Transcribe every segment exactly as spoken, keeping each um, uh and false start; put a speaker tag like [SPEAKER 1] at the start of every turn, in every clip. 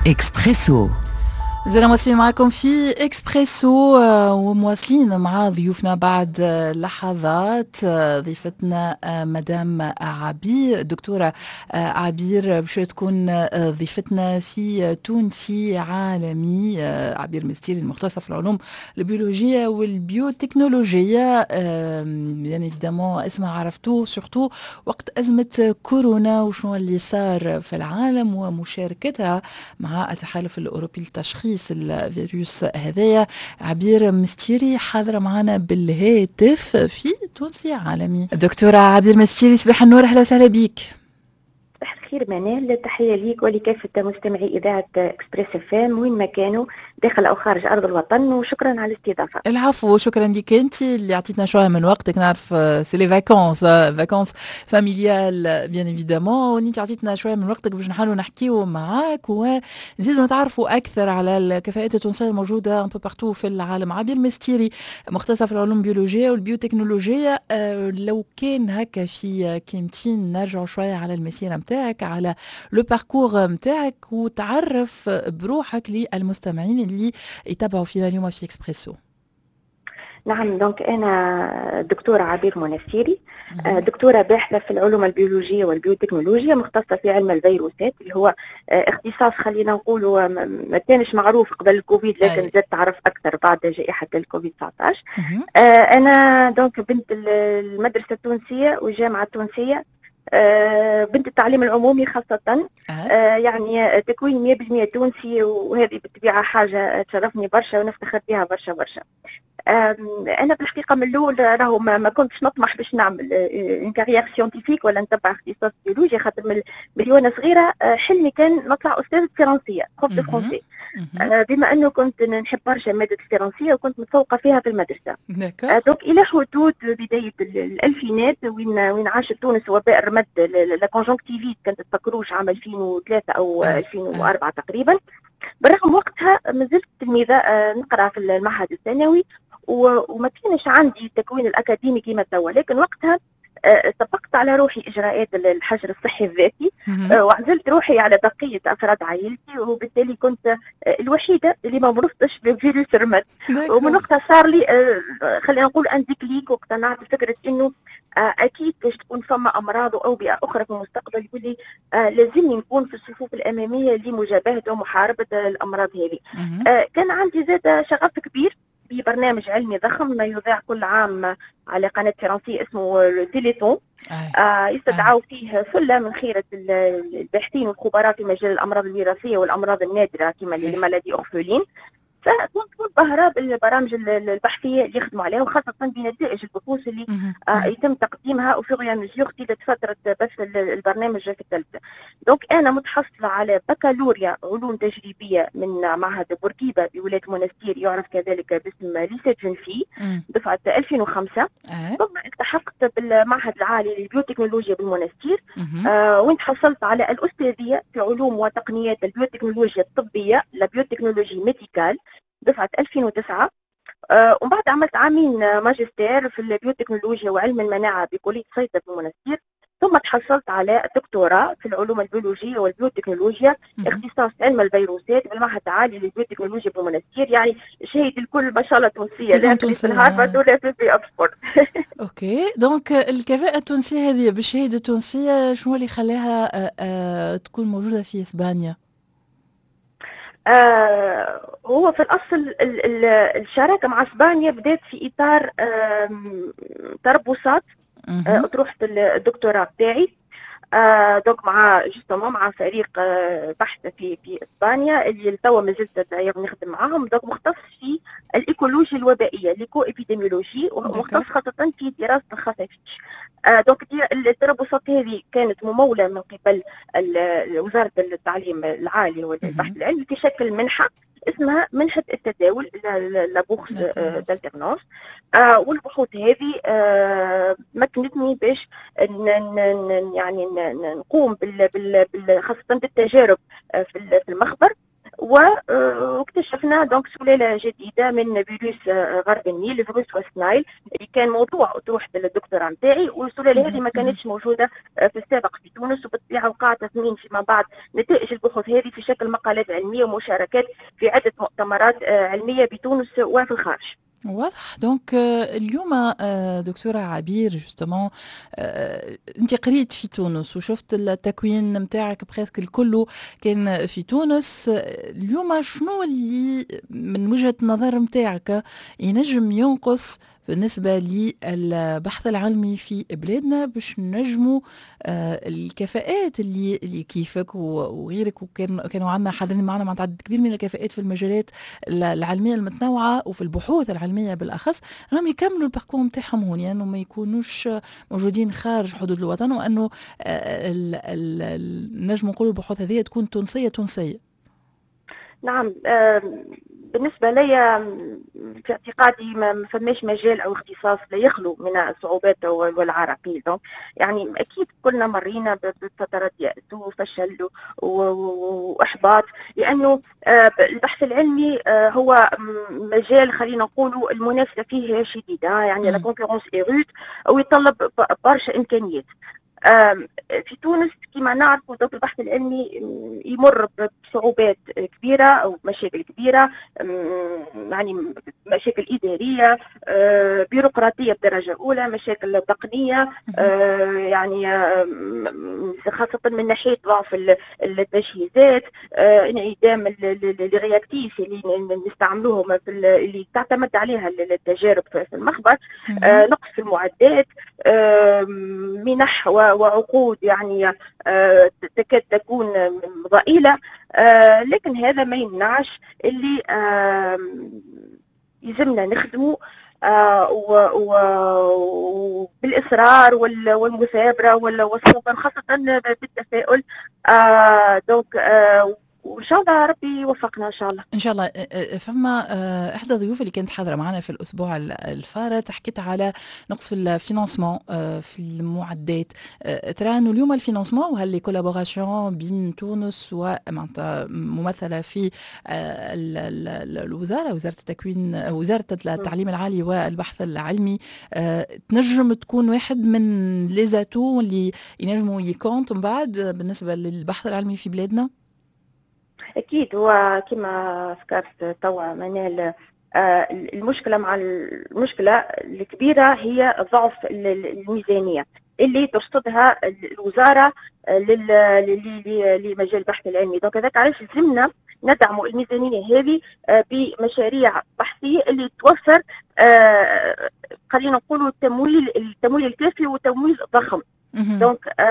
[SPEAKER 1] اكسبريسو.
[SPEAKER 2] مازلنا مواصلين معكم في اكسبريسو آه، ومواصلين مع ضيوفنا. بعد لحظات آه، ضيفتنا آه، مدام عبير، الدكتورة عبير، باش تكون ضيفتنا في تونسي عالمي. عبير مستيري، المختصة في العلوم البيولوجية والبيوتكنولوجية، bien évidemment اسمها عرفتوه surtout وقت أزمة كورونا وشنو اللي صار في العالم ومشاركتها مع التحالف الأوروبي لتشخيص الفيروس هذايا. عبير مستيري حاضرة معنا بالهاتف في تونسي عالمي. دكتورة عبير مستيري، صباح النور، أهلا وسهلا بك.
[SPEAKER 3] صباح الخير منال، تحية ليك ولكافة مستمعي إذاعة اكسبريس اف ام وين ما كانوا، داخل أو خارج أرض الوطن، وشكرا على الاستضافة.
[SPEAKER 2] العفو، شكرا لك أنت اللي أعطيتنا شوية من وقتك. نعرف c'est les vacances، vacances familiales bien évidemment، وانت عطيتنا شوية من وقتك باش نحاولوا نحكيو معاك ونزيدوا نتعرفوا أكثر على الكفاءات التونسية الموجودة un peu partout في العالم. عبير مستيري، مختصة في العلوم البيولوجية والبيوتكنولوجية، آه، لو كان هكا في كلمتين نرجعوا شوية على المسيرة متاعك، على le parcours متاعك، وتعرف بروحك للمستمعين اللي يتابعوا فينا اليوم في اكسبريسو.
[SPEAKER 3] نعم، donc أنا دكتورة عبير منستيري، آه، دكتورة باحثة في العلوم البيولوجية والبيوتكنولوجيا، مختصة في علم الفيروسات، اللي هو آه، اختصاص خلينا نقولوا ما كانش معروف قبل الكوفيد، لكن زاد تعرف أكثر بعد جائحة الكوفيد تسعطاش. آه، أنا donc بنت المدرسة التونسية والجامعة التونسية، بنت التعليم العمومي خاصة، آه يعني تكوين مية بالمية تونسي، وهذه بالطبيعة حاجة تشرفني برشا ونفتخر بها برشا برشا. انا بالحقيقة من الاول راهو ما, ما كنتش نطمح باش نعمل une carrière scientifique ولا نتبع اختصاص بيولوجي، خاطر من ملي وانا صغيرة آه، حلمي كان نطلع استاذه فرنسيه، prof de français، بما انه كنت نحب برشا مادة الفرنسية وكنت متفوقه فيها في المدرسه. donc الى حدود بداية الالفينات، وين وين عاشت تونس وباء الرمد، la conjonctivite، كانت تفكروش عام ألفين وثلاثة او ألفين وأربعة تقريبا. بالرغم وقتها مازلت تلميذه آه، نقرا في المعهد الثانوي وما كانش عندي التكوين الاكاديمي كما توا، لكن وقتها آه، طبقت على روحي اجراءات الحجر الصحي الذاتي آه، وعزلت روحي على بقية افراد عائلتي، وبالتالي كنت آه، الوحيدة اللي ما مرضتش بفيروس الرمد. ومن وقتها صار لي خلينا نقول un déclic، واقتنعت بفكره انه اكيد باش تكون فما امراض واوبئه اخرى في المستقبل، يولي لازمني نكون في الصفوف الامامية لمجابهه ومحاربه الامراض هذه. كان عندي زاد شغف كبير ببرنامج علمي ضخم ما يذاع كل عام على قناة فرنسية اسمه تيليتون، آه يستدعوا فيه ثلة من خيرة الباحثين والخبراء في مجال الأمراض الوراثية والأمراض النادرة كما les maladies orphelines. فكنت منبهرة بالبرامج البحثية اللي يخدموا عليها، وخاصة بنتائج البحوث اللي آه يتم تقديمها au fur et à mesure طيلة فترة بث البرنامج في التلفزة. donc أنا متحصلة على بكالوريا علوم تجريبية من معهد بورقيبة بولاية منستير، يعرف كذلك باسم lycée jeunes filles، دفعة ألفين وخمسة. أه. ثم التحقت بالمعهد العالي للبيوتكنولوجيا بالمنستير، آه وين تحصلت على الأستاذية في علوم وتقنيات البيوتكنولوجيا الطبية، la biotechnologie médicale، دفعة ألفين وتسعة. آه ومن بعد عملت عامين ماجستير في البيوتكنولوجيا وعلم المناعة بكلية صيدا بالمنستير، ثم تحصلت على الدكتوراه في العلوم البيولوجية والبيوتكنولوجيا، اختصاص علم الفيروسات، بالمعهد العالي للبيوتكنولوجيا بالمنستير. يعني شهادة الكل ما شاء الله تونسية، لا في هارفارد ولا في, في أكسفورد.
[SPEAKER 2] OK، donc الكفاءة التونسية هذه بالشهادة التونسية، شنو اللي خلاها آه، آه، تكون موجودة في اسبانيا؟
[SPEAKER 3] آه هو في الاصل الشراكة مع اسبانيا بدات في اطار تربصات آه، اطروحة الدكتوراه بتاعي، آه donc مع justement مع فريق آه بحث في في اسبانيا اللي توا مازلت نخدم معاهم، donc مختص في الايكولوجيا الوبائيه، l'éco-épidémiologie، ومختص خاصة في دراسة الخفافيش. آه donc التربصات هذه كانت مموله من قبل وزارة التعليم العالي والبحث العلمي في شكل منحه اسمها منحة التداول، la bourse d'alternance. آه والبحوث هذه آه مكنتني باش يعني نقوم بال بال خاصة بالتجارب آه، في المخبر. واكتشفنا donc سلالة جديدة من فيروس غرب النيل، فيروس West Nile، اللي كان موضوع أطروحة الدكتوراه نتاعي. والسلاله هذه ما كانتش موجودة في السابق في تونس، وبالطبيعه وقع تثمين فيما بعد نتائج البحوث هذه في شكل مقالات علمية ومشاركات في عده مؤتمرات علمية بتونس وفي الخارج.
[SPEAKER 2] واضح. donc اليوم دكتورة عبير، justement انت قريت في تونس وشفت التكوين نتاعك presque الكل كان في تونس. اليوم شنو اللي من وجهة النظر نتاعك ينجم ينقص بالنسبة للبحث العلمي في بلادنا باش نجموا آه، الكفاءات اللي اللي كيفك وغيرك، وكان كانوا عندنا حاضرين معنا مع عدد كبير من الكفاءات في المجالات العلمية المتنوعة وفي البحوث العلمية بالأخص، راهم يكملوا ال parcours نتاعهم هون، يعني ما يكونوش موجودين خارج حدود الوطن، وأنه آه، نجم نقولوا البحوث هذه تكون تونسية تونسية؟
[SPEAKER 3] نعم، بالنسبة لي في اعتقادي ما فماش مجال أو اختصاص لا يخلو من الصعوبات والعراقيل. يعني أكيد كلنا مرينا بفترات يأس وفشل وإحباط، لأنه آه، البحث العلمي آه، هو مجال خلينا نقولوا المنافسة فيه شديدة، يعني la concurrence est rude، ويتطلب برشا إمكانيات. في تونس كما نعرفوا البحث العلمي يمر بصعوبات كبيرة أو مشاكل كبيرة، يعني مشاكل إدارية، آه، بيروقراطية بدرجة أولى، مشاكل تقنية، آه، يعني خاصة من ناحية ضعف التجهيزات، آه، انعدام les réactifs اللي نستعملوهم في اللي تعتمد عليها التجارب في المخبر، نقص في المعدات، منح وعقود يعني آه، تكاد تكون ضئيلة. آه، لكن هذا ما يمنعش اللي يلزمنا نخدموا آه، وبالإصرار والمثابرة والصبر، خاصة بالتفاؤل. donc وان شاء الله ربي يوفقنا ان شاء الله.
[SPEAKER 2] ان شاء الله. فما احدى الضيوف اللي كانت حاضره معنا في الاسبوع الفارط حكيت على نقص في ال financement، في المعدات. ترى انه اليوم ال financement وهل les collaborations بين تونس ومعناتها ممثلة في الوزاره، وزارة التكوين، وزارة التعليم العالي والبحث العلمي، تنجم تكون واحد من les atouts اللي ينجموا ي compte من بعد بالنسبة للبحث العلمي في بلادنا؟
[SPEAKER 3] اكيد، هو كما ذكرت توا منال، آه، المشكلة مع المشكلة الكبيرة هي ضعف الميزانية اللي ترصدها الوزارة لمجال البحث العلمي. donc هذاك علاش لازمنا ندعم الميزانية هذه آه، بمشاريع بحثيه اللي توفر آه، خلينا نقولوا التمويل التمويل الكافي وتمويل ضخم. donc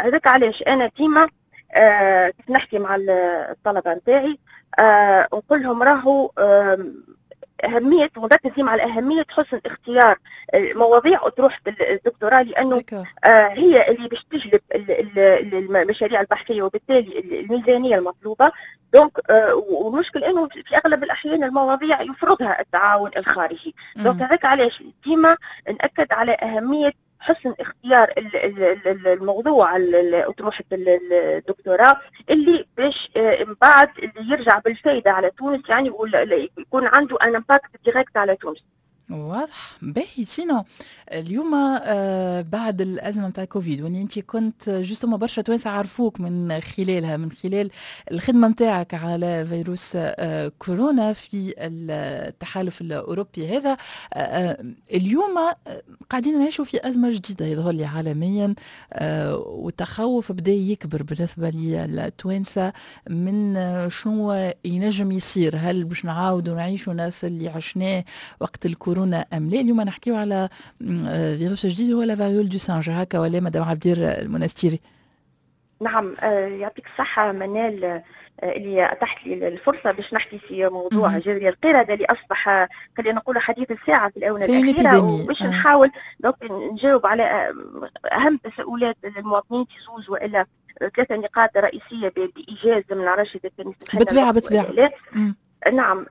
[SPEAKER 3] هذاك علاش انا ديما آه كيف نحكي مع الطلبة نتاعي آه نقول لهم راهو آه أهمية، ونركز ديما على أهمية حسن اختيار المواضيع أطروحة الدكتوراه، لأنه آه هي اللي باش تجلب المشاريع البحثية وبالتالي الميزانية المطلوبة. donc آه والمشكل أنه في أغلب الأحيان المواضيع يفرضها التعاون الخارجي. donc هذاك علاش ديما نأكد على أهمية حسن اختيار الموضوع اطروحة الدكتوراه اللي باش آه، من بعد اللي يرجع بالفائدة على تونس، يعني يكون عنده un impact direct على تونس.
[SPEAKER 2] واضح. باهي، sinon اليوم آه بعد الازمة نتاع كوفيد، واللي انت كنت justement برشا توانسة عرفوك من خلالها، من خلال الخدمة نتاعك على فيروس آه كورونا في التحالف الاوروبي هذا، آه اليوم آه، قاعدين نعيشوا في ازمة جديدة يظهر لي عالميا، آه والتخوف بدا يكبر بالنسبة للتوانسه من شنو ينجم يصير، هل باش نعاودوا نعيشوا نفس اللي عشناه وقت الكورونا ام لا؟ اليوم نحكيو على آه، فيروس جديد هو la variole du singe، هكا ولا مدام عبير المنستيري؟
[SPEAKER 3] نعم، آه، يعطيك الصحة منال آه، اللي أتحت لي الفرصة باش نحكي في موضوع جدري القردة اللي أصبح خلينا نقول حديث الساعة في الآونة الأخيرة، وباش آه. نحاول donc نجاوب على أهم تساؤلات المواطنين في زوز وإلا ثلاثة نقاط رئيسية بإيجاز. ما نعرفش إذا كان
[SPEAKER 2] بالطبيعة بالطبيعة.
[SPEAKER 3] نعم،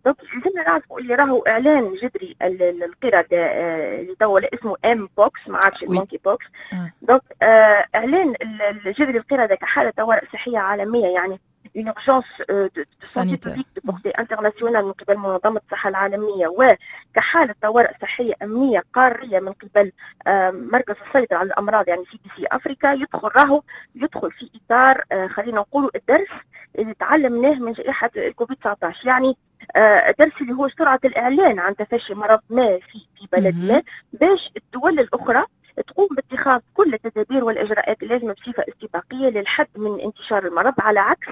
[SPEAKER 3] donc لازمنا نعرفوا اللي راهو اعلان جدري القردة آه، اللي توا اسمه mpox، ما عادش ال monkeypox. donc آه، اعلان جدري القردة كحاله طوارئ صحية عالمية يعني une urgence de santé publique de portée internationale من قبل منظمة الصحة العالميه، وكحاله طوارئ صحية امنية قارية من قبل مركز السيطرة على الامراض، يعني CDC Africa، يدخل راهو يدخل في اطار آه، خلينا نقولوا الدرس اللي تعلمناه من جائحة الكوفيد تسعطاش، يعني الدرس اللي هو سرعة الاعلان عن تفشي مرض ما في في بلد ما باش الدول الاخرى تقوم باتخاذ كل التدابير والاجراءات اللازمة بصفة استباقية للحد من انتشار المرض، على عكس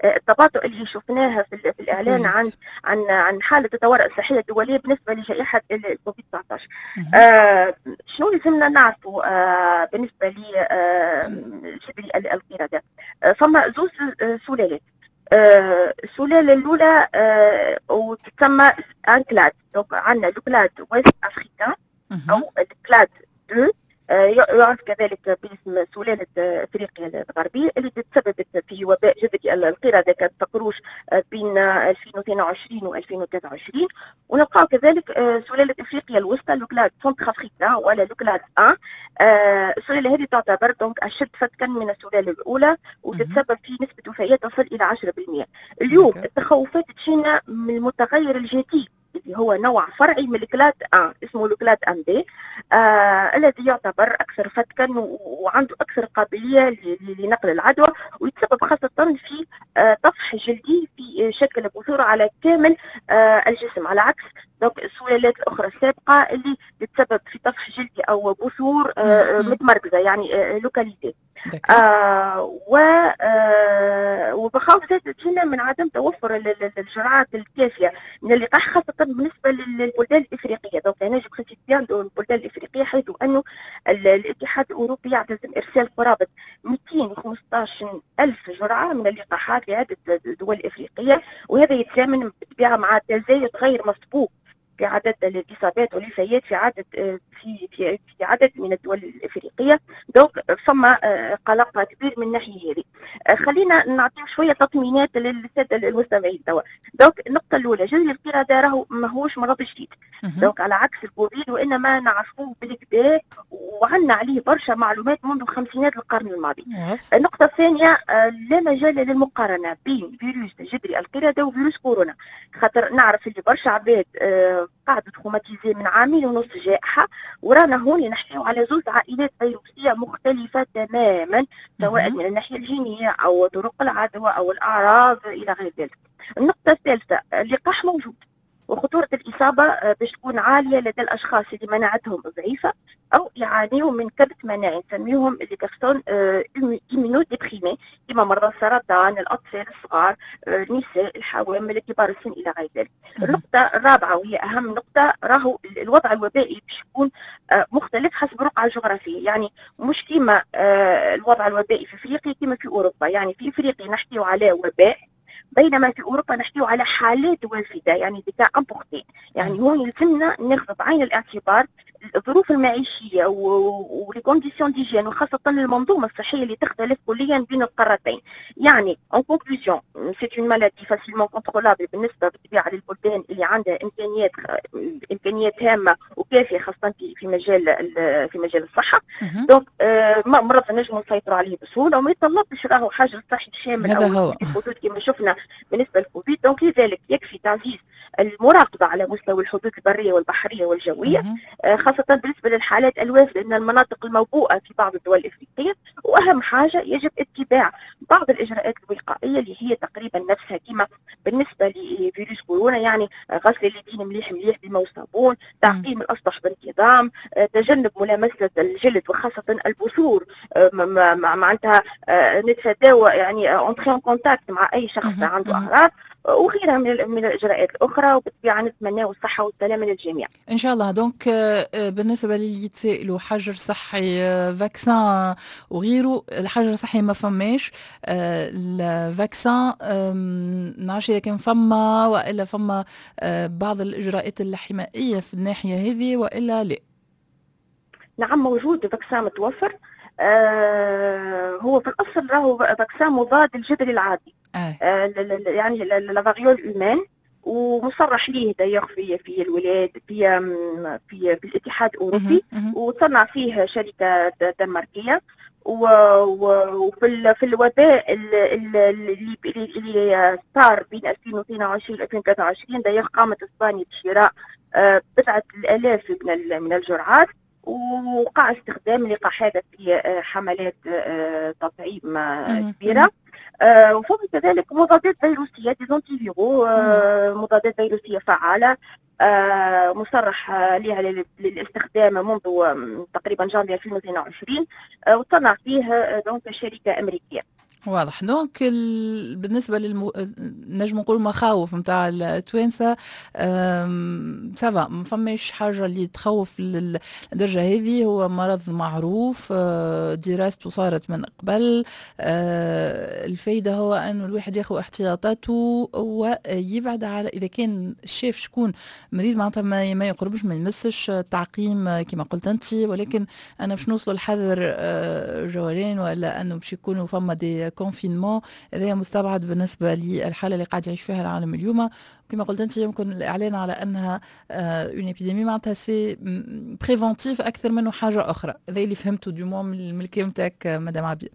[SPEAKER 3] آه، التباطؤ اللي شفناها في, في الاعلان عن عن عن حاله الطوارئ الصحية الدولية بالنسبة لجائحه الكوفيد تسعطاش. آه شنو لازمنا نعرفوا آه بالنسبة لجدري آه القرده؟ آه فما زوز آه، سلالات. آه السلالة الاولى آه وتسمى un clade، donc عندنا le clade ouest africain او ال clade اثنين، آه، يعرف كذلك باسم سلالة افريقيا الغربية، اللي تسببت في وباء جدري القردة كان تقروش آه، بين ألفين واثنين وعشرين و ألفين وثلاثة وعشرين. ونلقاو كذلك آه، سلالة افريقيا الوسطى، le clade centrafricain ولا le clade واحد. السلالة هذه تعتبر donc اشد فتكا من السلالة الاولى وتتسبب في نسبة وفيات تصل الى عشرة في المئة. اليوم التخوفات تجينا من المتغير الجديد اللي هو نوع فرعي من ال clade واحد اسمه ال clade واحد b، آه الذي يعتبر اكثر فتكا وعنده اكثر قابلية لنقل العدوى، ويتسبب خاصة في آه طفح جلدي في شكل بثور على كامل آه الجسم، على عكس donc السلالات الاخرى السابقة اللي تتسبب في طفح جلدي او بثور آه متمركزه، يعني آه localisée. آه و آه ومخاوف زادة تجينا من عدم توفر الجرعات الكافيه من اللقاح، خاصة بالنسبة للبلدان الافريقيه. donc هنا je précise bien البلدان الافريقيه، حيث انه الاتحاد الاوروبي يعتزم ارسال قرابة مئتين وخمسطاش الف جرعة من اللقاحات لعدة دول افريقيه، وهذا يتزامن بالطبيعة مع تزايد غير مسبوق في عدد الاصابات والوفيات في عدد في في في عدد من الدول الافريقيه. donc فما آه، قلق كبير من الناحية هذه. آه، خلينا نعطيو شوية تطمينات للسادة المستمعين توا. donc النقطة الاولى، جدري القردة راهو ماهوش مرض جديد، donc على عكس الكوفيد، وانما نعرفوه بالقدا وعندنا عليه برشا معلومات منذ خمسينات القرن الماضي. النقطة الثانيه، آه، لا مجال للمقارنه بين فيروس جدري القردة وفيروس كورونا، خاطر نعرف اللي برشا عباد قعدوا traumatisés من عامين ونص جائحة، ورانا هون نحكيو على زوج عائلات فيروسية مختلفة تماما، سواء من الناحية الجينية أو طرق العدوى أو الأعراض إلى غير ذلك. النقطة الثالثة، اللقاح موجود، وخطورة الإصابة آه، باش تكون عالية لدى الأشخاص اللي مناعتهم ضعيفة أو يعانيوا من كبت مناعي، نسميهم les personnes immunodéprimées، كما مرضى السرطان، الأطفال الصغار، آه، النساء الحوامل، كبار السن إلى غير ذلك. النقطة الرابعة وهي أهم نقطة، راهو الوضع الوبائي باش يكون آه، مختلف حسب الرقعة الجغرافية، يعني مش كما الوضع الوبائي في افريقيا كما في اوروبا. يعني في افريقيا نحكيو على وباء، بينما في اوروبا نحكيو على حالات وافده، يعني des cas importés. يعني هون يلزمنا ناخذ بعين الاعتبار الظروف المعيشية و les conditions d'hygiène، وخاصة المنظومة الصحية اللي تختلف كليا بين القارتين. يعني en conclusion، c'est une maladie facilement contrôlable بالنسبة بالطبيعة للبلدان اللي عندها امكانيات امكانيات هامة وكافيه، خاصة في في مجال في مجال الصحه. donc مرض نجموا نسيطروا عليه بسهولة وما يتطلبش راهو حجر صحي شامل او الحدود كما شفنا بالنسبة للكوفيد. donc لذلك يكفي تعزيز المراقبة على مستوى الحدود البرية والبحرية والجويه، آه، خاصة بالنسبة للحالات الوافدة من المناطق الموبوءه في بعض الدول الافريقيه. واهم حاجه، يجب اتباع بعض الاجراءات الوقائية اللي هي تقريبا نفسها كما بالنسبة لفيروس كورونا، يعني غسل اليدين مليح مليح بالماء والصابون، تعقيم الاسطح بانتظام، آه، تجنب ملامسه الجلد وخاصة البثور، آه، معناتها نتفاداو يعني entrer en contact مع اي شخص عنده اعراض، وغيرها من من الاجراءات الاخرى. وبالطبيعه نتمنى الصحة والسلامة للجميع.
[SPEAKER 2] ان شاء الله. donc آه، بالنسبة للي يتسائلوا حجر صحي، vaccin وغيره، الحجر الصحي ما فماش، ال vaccin نعرفش اذا كان فما والا فما آه، بعض الاجراءات الحمائيه في الناحية هذه والا لا.
[SPEAKER 3] نعم، موجود vaccin متوفر. آه هو في الاصل راهو vaccin مضاد للجدري العادي آه. آه يعني la variole humaine، ومصرح ليه d'ailleurs في في الولايات في في, في الاتحاد الاوروبي، وتصنع فيه شركة دنماركيه. وفي في الوباء اللي اللي صار بين ألفين واثنين وعشرين و ألفين وثلاثة وعشرين، d'ailleurs قامت اسبانيا بشراء بضعة الالاف من من الجرعات، وقع استخدام اللقاح هذا في حملات تطعيم كبيرة. وفوق كذلك مضادات فيروسيه، des antiviraux، مضادات فيروسيه فعاله مصرح لها للاستخدام منذ تقريبا جانفي ألفين واثنين وعشرين، وتصنع فيه donc شركة امريكية.
[SPEAKER 2] واضح. donc ال... بالنسبة للم... نجم نقول مخاوف نتاع التوانسه، ça va، ما فماش حاجة اللي تخوف للدرجة هذه. هو مرض معروف، آه، دراسته صارت من قبل. آه، الفايدة هو انه الواحد ياخذ احتياطاته ويبعد على اذا كان شاف شكون مريض، معناتها ما, ما يقربش، ما يمسش، تعقيم كما قلت انت. ولكن انا باش نوصلوا لحظر آه، جولان ولا انه باش يكونوا فما des confinements، هذا مستبعد بالنسبة للحالة اللي قاعد يعيش فيها العالم اليوم. كما قلت انت، يمكن الاعلان على انها une épidémie معناتها c'est préventif اكثر منه حاجة اخرى. هذا اللي فهمته du moins من الكلام تاعك مدام عبير.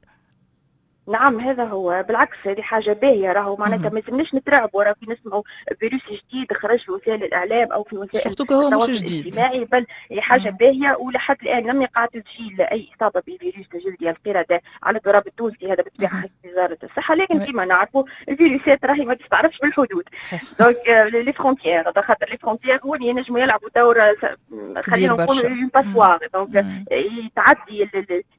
[SPEAKER 3] نعم، هذا هو. بالعكس، هذه حاجة باهيه. راهو معناتها ما لازمناش نترعبوا راه كي نسمعوا فيروس جديد خرج في وسائل الاعلام او في وسائل
[SPEAKER 2] هو مش جديد
[SPEAKER 3] الاجتماعي، بل هي حاجة باهيه. ولحد الان لم يقع تسجيل اي اصابه بفيروس جلدي القردة على التراب التونسي، هذا بالطبيعة حسب وزارة الصحه. لكن كما نعرفوا الفيروسات راهي ما تستعرفش بالحدود، donc les frontières، خاطر les frontières هو اللي ينجموا يلعبوا دور، خلينا نقولوا une passoire، donc تعدي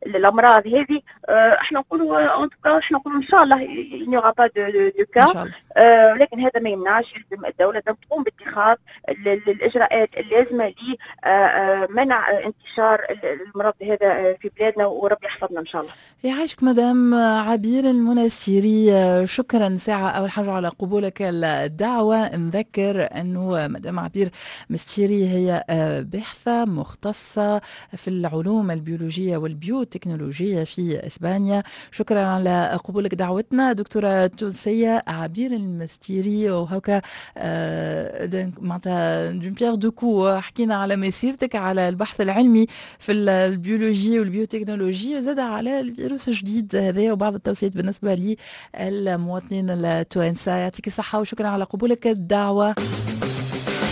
[SPEAKER 3] الامراض هذه. احنا نقولوا احنا نقولوا ان شاء الله il n'y aura pas de, de cas، لكن هذا ما يمنعش يلزم الدولة تقوم باتخاذ الاجراءات اللازمة لمنع انتشار المرض هذا في بلادنا، وربي يحفظنا ان شاء الله.
[SPEAKER 2] يعيشك مدام عبير المنستيري، شكرا ساعة أول حاجة على قبولك الدعوة. نذكر أنه مدام عبير مستيري هي باحثة مختصة في العلوم البيولوجية والبيوتكنولوجية في إسبانيا. شكرا على قبولك دعوتنا دكتورة تونسية عبير المستيري. وهكا آه، معناتها d'une pierre deux coups، حكينا على مسيرتك، على البحث العلمي في البيولوجي والبيوتكنولوجي، وزاد على الفيروس الجديد هذا وبعض التوصيات بالنسبة للمواطنين التوانسة. يعطيك الصحة وشكرا على قبولك الدعوة.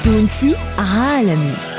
[SPEAKER 1] تونسي عالمي.